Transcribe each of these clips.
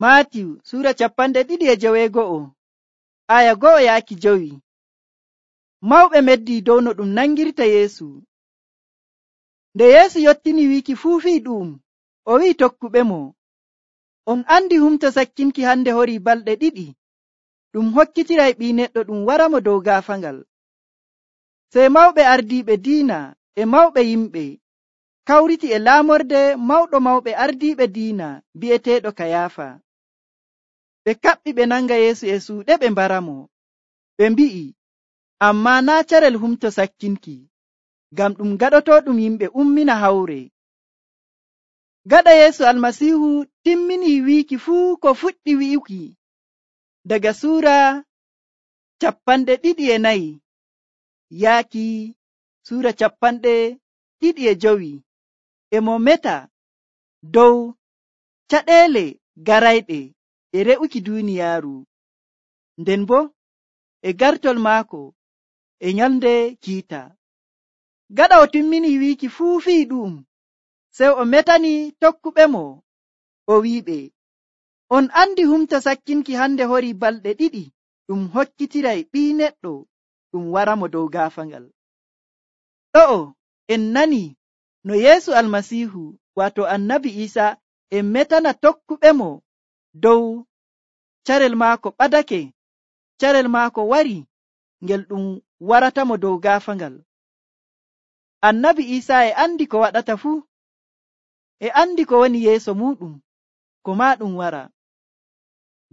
Maatiyu sura 2:9 aya 1-5. Mawɓe meddi dow no ɗum nangirta Yeesu. Nde Yeesu yottini wiiki fuu fii ɗum, o wi'i tokkuɓemo, on andi humto sakkinki hande horii balɗe 2 ɗum hokkitiray ɓii neɗɗo ɗum waramo dow gaafangal. Sey mawɓe ardiiɓe diina e mawɓe yimɓe kawriti e laamorde mawɗo mawɓe ardiiɓe diina bi'eteeɗo Kayaafa. Ɓe kaɓɓi ɓe nanga Yeesu e suuɗe ɓe mbaramo. Ɓe mbi'i, ammaa naa' carel humto sakkinki, ngam ɗum gaɗotooɗum yimɓe ummina hawre. Gaɗa Yeesu Almasiihu timminii wiiki fuu ko fuɗɗi wi'uki daga suura 24 yaaki suura 25 e mo meta dow caɗeele garayɗe e re'uki duuniyaaru, nden boo e gartol maako e nyalnde kiita. Gaɗa o timminii wiiki fuu fii ɗum, sey o metani tokkuɓemo o wi'iɓe, on andi humto sakkinki hande horii balɗe 2 ɗum hokkitiray ɓii neɗɗo ɗum waramo dow gaafangal. Ɗo'o en nani no Yeesu Almasiihu waato Annabi Iisa en metana tokkuɓemo dow carel maako ɓadake, carel maako wari ngel ɗum waratamo dow gaafangal. Annabi Iisa e andi ko waɗata fuu, e andi ko woni yeeso muɗum, ko maa ɗum wara.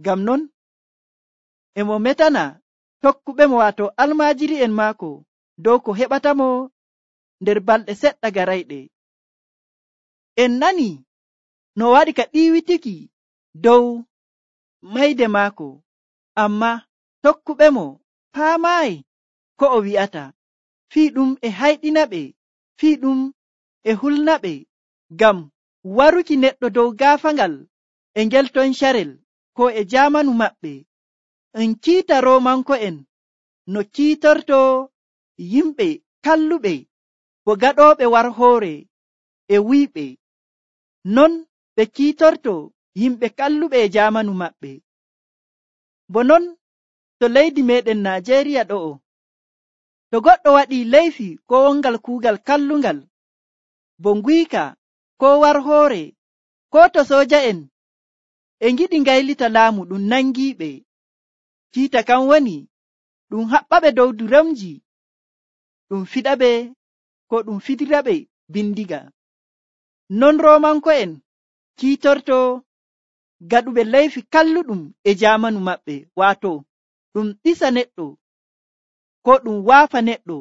Ngam non e mo metana tokkuɓemo waato almaajiri'en maako dow ko heɓatamo nder balɗe seɗɗa garayɗe. En nani no waɗi ka ɗiiwitiki dow mayde maako, ammaa tokkuɓemo paamaayi ko o wi'ata. Fii ɗum e hayɗinaɓe, fii ɗum e hulnaɓe ngam waruki neɗɗo dow gaafangal e ngel ton carel ko e jaamanu maɓɓe. En kiita Roomanko'en no kiitorto yimɓe kalluɓe bo gaɗooɓe warhoore e wuyɓe, non ɓe kiitorto yimɓe kalluɓe e jaamanu maɓɓe. Bo non to leydi meɗen Najeeriya ɗo'o, to goɗɗo waɗii leyfi ko wongal kuugal kallungal, bo nguyka ko warhoore, ko to sooja'en e ngiɗi ngaylita laamu ɗum nangiiɓe, kiita kan woni ɗum haɓɓaɓe dow duromji, ɗum fiɗaɓe ko ɗum fidiraɓe bindiga. Non Roomanko'en kiitorto gaɗuɓe leyfi kalluɗum e jaamanu maɓɓe, waato ɗum ɗisa neɗɗo ko ɗum waafa neɗɗo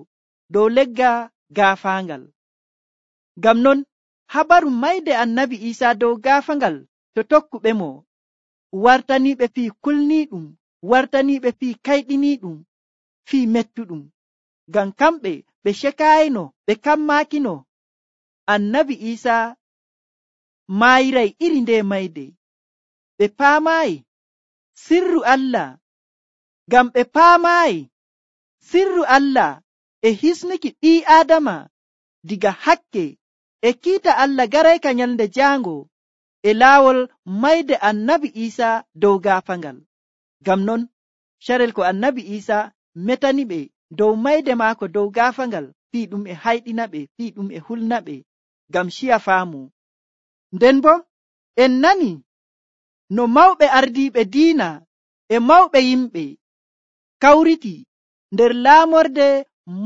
dow legga gaafaangal. Ngam non habaru mayde Annabi Iisa dow gaafangal to tokkuɓemo wartaniiɓe fii kulniiɗum, wartaniiɓe fii kayɗiniiɗum, fii mettuɗum. Ngam kamɓe ɓe cekaayino, ɓe kammaakino Annabi Iisa maayiray iri nde mayde. Ɓe paamaayi sirru Allah, ngam ɓe paamaayi sirru Allah e hisnuki ɓii Aadama diga hakke e kiita Allah garayka nyalnde jaango e laawol mayde Annabi Iisa dow gaafangal. Ngam non carel ko Annabi Iisa metaniɓe dow mayde maako dow gaafangal, fii ɗum e hayɗinaɓe, fii ɗum e hulnaɓe ngam ciya faamu. Nden bo en nani no mawɓe ardiiɓe diina e mawɓe yimɓe kawriti nder laamorde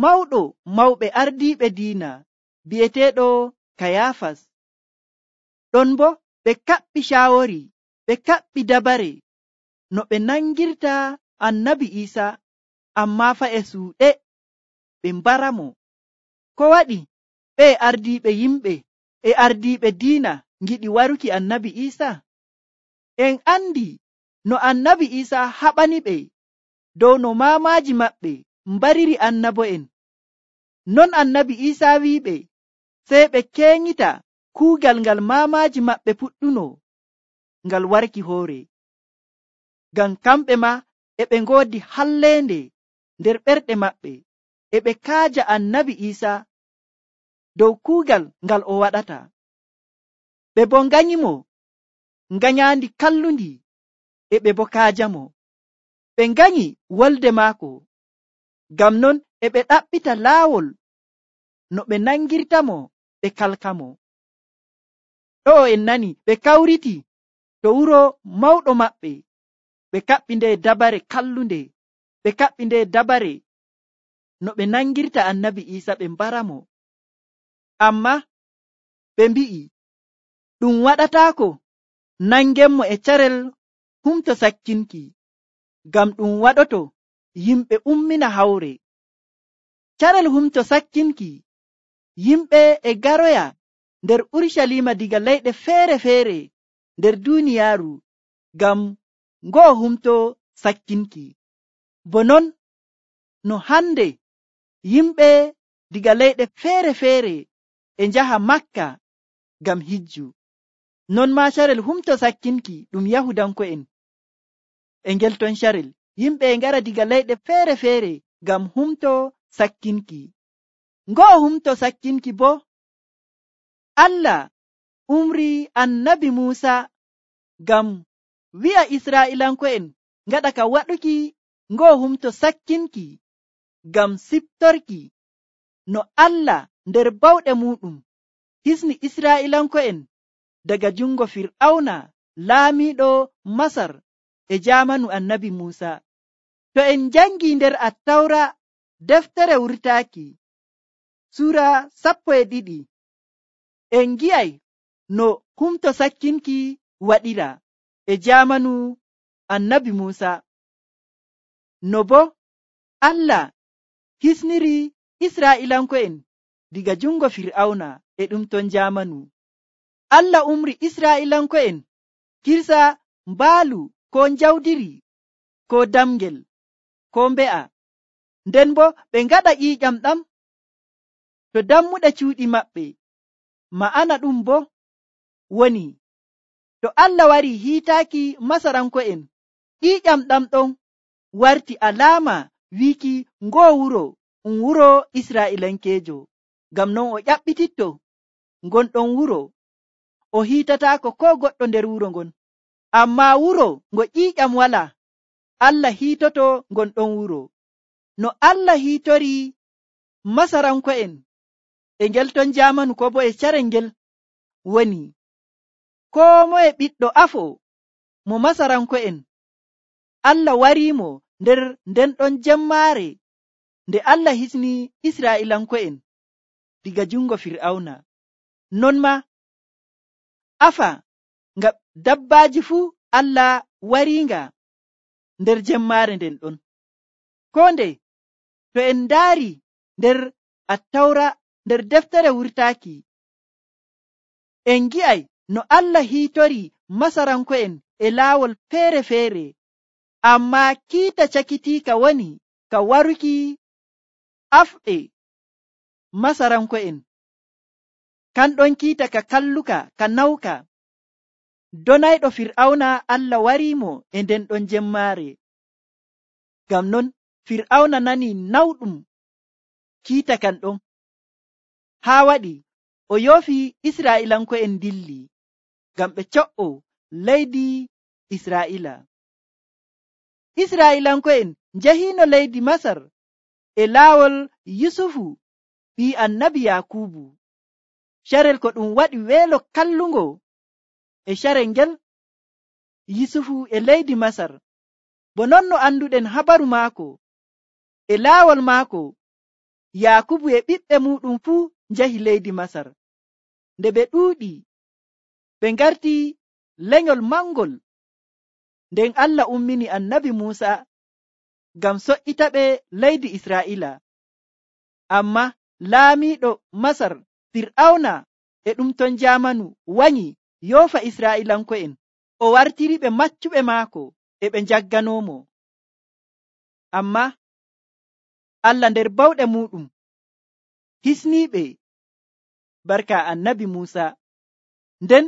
mawɗo mawɓe ardiiɓe diina bi'eteeɗo Kayaafas. Ɗon bo ɓe kaɓɓi caawori, ɓe kaɓɓi dabare no ɓe nangirta Annabi Iisa, ammaa fa e suuɗe ɓe mbaramo. Ko waɗi ɓe ardiiɓe yimɓe e ardiiɓe diina ngiɗi waruki Annabi Iisa? En andi no Annabi Iisa haɓaniɓe dow no maamaaji maɓɓe mbariri annabo'en. Non Annabi Iisa wi'iɓe sey ɓe keenyita kuugal ngal maamaaji maɓɓe puɗɗuno ngal warki hoore. Ngam kamɓe ma e ɓe ngoodi halleende nder ɓerɗe maɓɓe, e ɓe kaaja Annabi Iisa dow kuugal ngal o waɗata. Ɓe bo nganyimo nganyaandi kallundi e ɓe bo kaajamo. Ɓe nganyi wolde maako, ngam non e ɓe ɗaɓɓita laawol no ɓe nangirtamo ɓe kalkamo. Ɗo'o en nani ɓe kawriti to wuro mawɗo maɓɓe, ɓe kaɓɓi nde dabare kallunde, ɓe kaɓɓi nde dabare no ɓe nangirta annabi Iisa ɓe mbaramo. Amma ɓe mbi'i ɗum waɗataako nangenmo e carel humto sakkinki, ngam ɗum waɗoto yimɓe ummina hawre. Carel humto sakkinki, yimɓe e garoya nder Urusalima diga leyɗe feere-feere nder duuniyaaru ngam ngo'o humto sakkinki. Bo non no hande yimɓe diga leyɗe feere-feere e njaha Makka ngam hijju, non maa carel humto sakkinki ɗum Yahudanko'en e ngel ton carel yimɓe e ngara diga leyɗe feere-feere ngam humto sakkinki. Ngo'o humto sakkinki bo Allah umri annabi Muusa ngam wi'a Israa'ilanko'en ngaɗa ka waɗuki ngo'o humto sakkinki ngam siftorki no Allah nder bawɗe muɗum hisni Israa'ilanko'en daga jungo Fir'auna laamiiɗo Masar e jaamanu annabi Muusa. To en jangi nder Attawra deftere wurtaaki Sura 12, en gi'ay no humto sakkinki waɗira e jaamanu annabi Muusa, no bo Allah hisniri Israa'ilanko'en diga jungo Fir'auna e ɗum ton jaamanu. Allah umri Israa'ilanko'en kirsa mbaalu ko njawdiri ko damgel ko mbe'a, nden bo ɓe ngaɗa ƴiiƴam ɗam to dammuɗe cuuɗi maɓɓe. Ma'ana ɗum bo woni to Allah wari hiitaaki Masaranko'en, ƴiiƴam ɗam ɗon warti alaama wiiki ngoo wuro ɗum wuro Israa'ilankeejo. Ngam non o ƴaɓɓititto ngon ɗon wuro, o hiitataako ko goɗɗo nder wuro ngon. Amma wuro ngo ƴiiƴam walaa, Allah hiitoto ngon ɗon wuro. No Allah hiitori Masaranko'en e ngel ton jaamanu ko bo e carel ngel woni koo moye ɓiɗɗo afo mo Masaranko'en, Allah wariimo nder nden ɗon jemmaare nde Allah hisni Israa'ilanko'en diga jungo Fir'auna. Non ma afa ngam dabbaaji fuu Allah wariinga nder jemmaare nden ɗon. Koo nde to en ndaari nder Attawra nder deftere wurtaaki, en gi'ay no Allah hiitori Masaranko'en e laawol feere-feere, amma kiita cakitiika woni ka waruki afɗe Masaranko'en. Kanɗon kiita ka kalluka ka nawka. Donayɗo Fir'auna Allah wariimo e nden ɗon jemmaare. Ngam non Fir'auna nani nawɗum kiita kan ɗon, haa waɗi o yoofi Israa'ilanko'en dilli ngam ɓe co'o leydi Israa'ila. Israa'ilanko'en njahiino leydi Masar e laawol Yusufu ɓii annabi Yakubu. Carel ko ɗum waɗi weelo kallungo e carel ngel Yusufu e leydi Masar. Bo non no anduɗen habaru maako e laawol maako, Yakubu e ɓiɓɓe muɗum fuu njahi leydi Masar. Nde ɓe ɗuuɗi, ɓe ngarti lenyol mangol, nden Allah ummini annabi Muusa ngam so'ita ɓe leydi Israa'ila. Amma laamiiɗo Masar Fir'auna e ɗum ton jaamanu wanyi yoofa Israa'ilanko'en, o wartiri ɓe maccuɓe maako e ɓe njagganoomo. Amma Allah nder bawɗe muɗum hisniiɓe barka annabi Muusa. Nden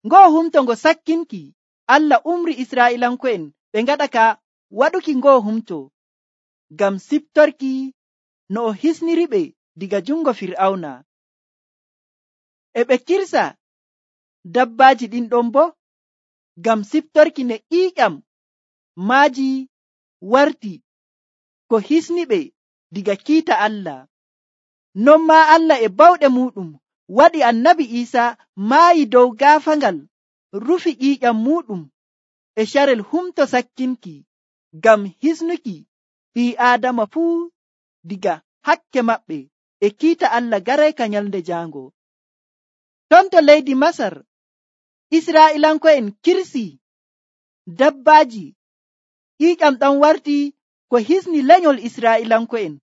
ngoo humto ngo sakkinki, Allah umri Israa'ilanko'en ɓe ngaɗa ka waɗuki ngoo humto ngam siftorki no o hisniri ɓe diga jungo Fir'auna. E ɓe kirsa dabbaaji ɗin ɗon bo ngam siftorki ne ƴiiƴam maaji warti ko hisniɓe diga kiita Allah. Non maa Allah e bawɗe muɗum waɗi annabi Iisa maayi dow gaafangal, rufi ƴiiƴam muɗum e carel humto sakkinki ngam hisnuki ɓii Aadama fuu diga hakke maɓɓe e kiita Allah garayka nyalnde jaango. Ton to leydi Masar, Israa'ilanko'en kirsi dabbaaji, ƴiiƴam ɗam warti ko hisni lenyol Israa'ilanko'en.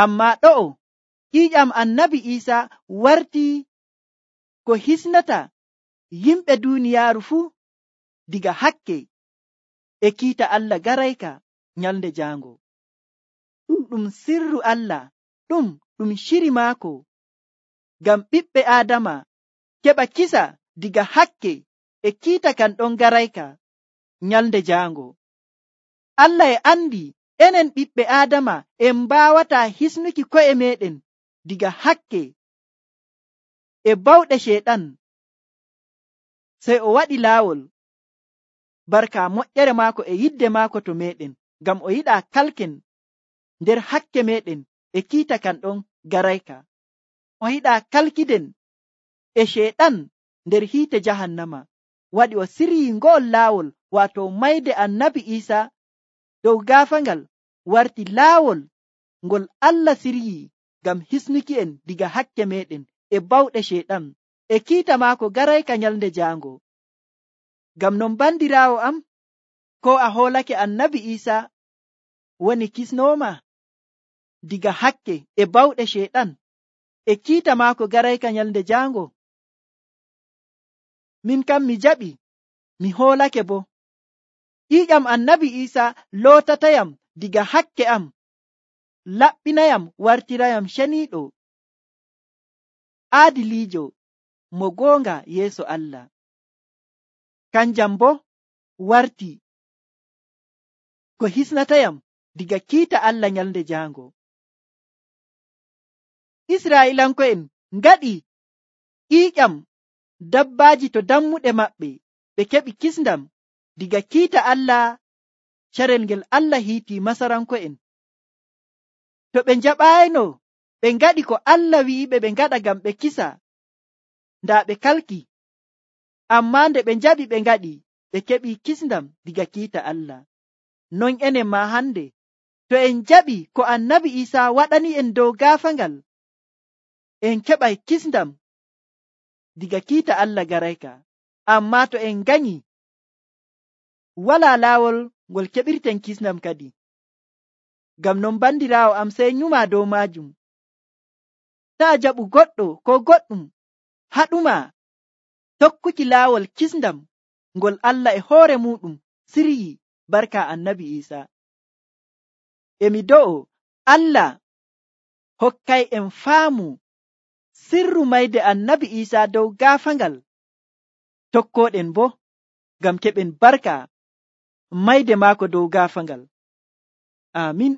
Ammaa ɗo'o ƴiiƴam annabi Iisa warti ko hisnata yimɓe duuniyaaru fuu diga hakke e kiita Allah garayka nyalnde jaango. Ɗum sirru Allah, ɗum shiri maako ngam ɓiɓɓe Aadama keɓa kisa diga hakke e kiita kan ɗon garayka nyalnde jaango. Allah e andi enen ɓiɓɓe Aadama en mbaawata hisnuki ko'e meɗen diga hakke e bawɗe Sheeɗan, sey o waɗi laawol barka moƴƴere maako e yidde maako to meɗen, ngam o yiɗa kalken nder hakke meɗen e kiita kan ɗon garayka. O yiɗa kalkiden e Sheeɗan nder hiite jahannama. Waɗi o siryi ngo'ol laawol, waato mayde annabi Iisa dow gaafangal warti laawol ngol Allah siryi ngam hisnuki en diga hakke meɗen e bawɗe Sheeɗan e kiita maako garayka nyalnde jaango. Ngam non bandiraawo am, ko a hoolake annabi Iisa woni kisnooma diga hakke e bawɗe Sheeɗan e kiita maako garayka nyalnde jaango? Min kam mi jaɓi, mi hoolake bo. ƴiiƴam annabi Iisa lootatayam diga hakke am, laɓɓinayam wartirayam ceniiɗo, aadiliijo, mo goonga yeeso Allah. Kanjam bo warti ko hisnatayam diga kiita Allah nyalnde jaango. Israa'ilanko'en ngaɗi ƴiiƴam dabbaaji to dammuɗe maɓɓe, ɓe keɓi kisndam diga kiita Allah carel ngel Allah hiiti Masaranko'en. To ɓe njaɓaayno ɓe ngaɗi ko Allah wi'iɓe ɓe ngaɗa ngam ɓe kisa, ndaa ɓe kalki. Ammaa nde ɓe njaɓi ɓe ngaɗi, ɓe keɓi kisndam diga kiita Allah. Non enen ma hande, to en jaɓi ko annabi Iisa waɗani en dow gaafangal, en keɓay kisndam diga kiita Allah garayka. Ammaa to en ganyi, walaa laawol ngol keɓirten kisndam kadi. Ngam non bandiraawo am, sey nyuma dow maajum. Taa jaɓu goɗɗo ko goɗɗum haɗuma tokkuki laawol kisndam ngol Allah e hoore muɗum siryi barka annabi Iisa. Emi do'o Allah hokkay en faamu sirru mayde annabi Iisa dow gaafangal, tokkoɗen bo ngam keɓen barka mayde maako dow gaafangal. Amin.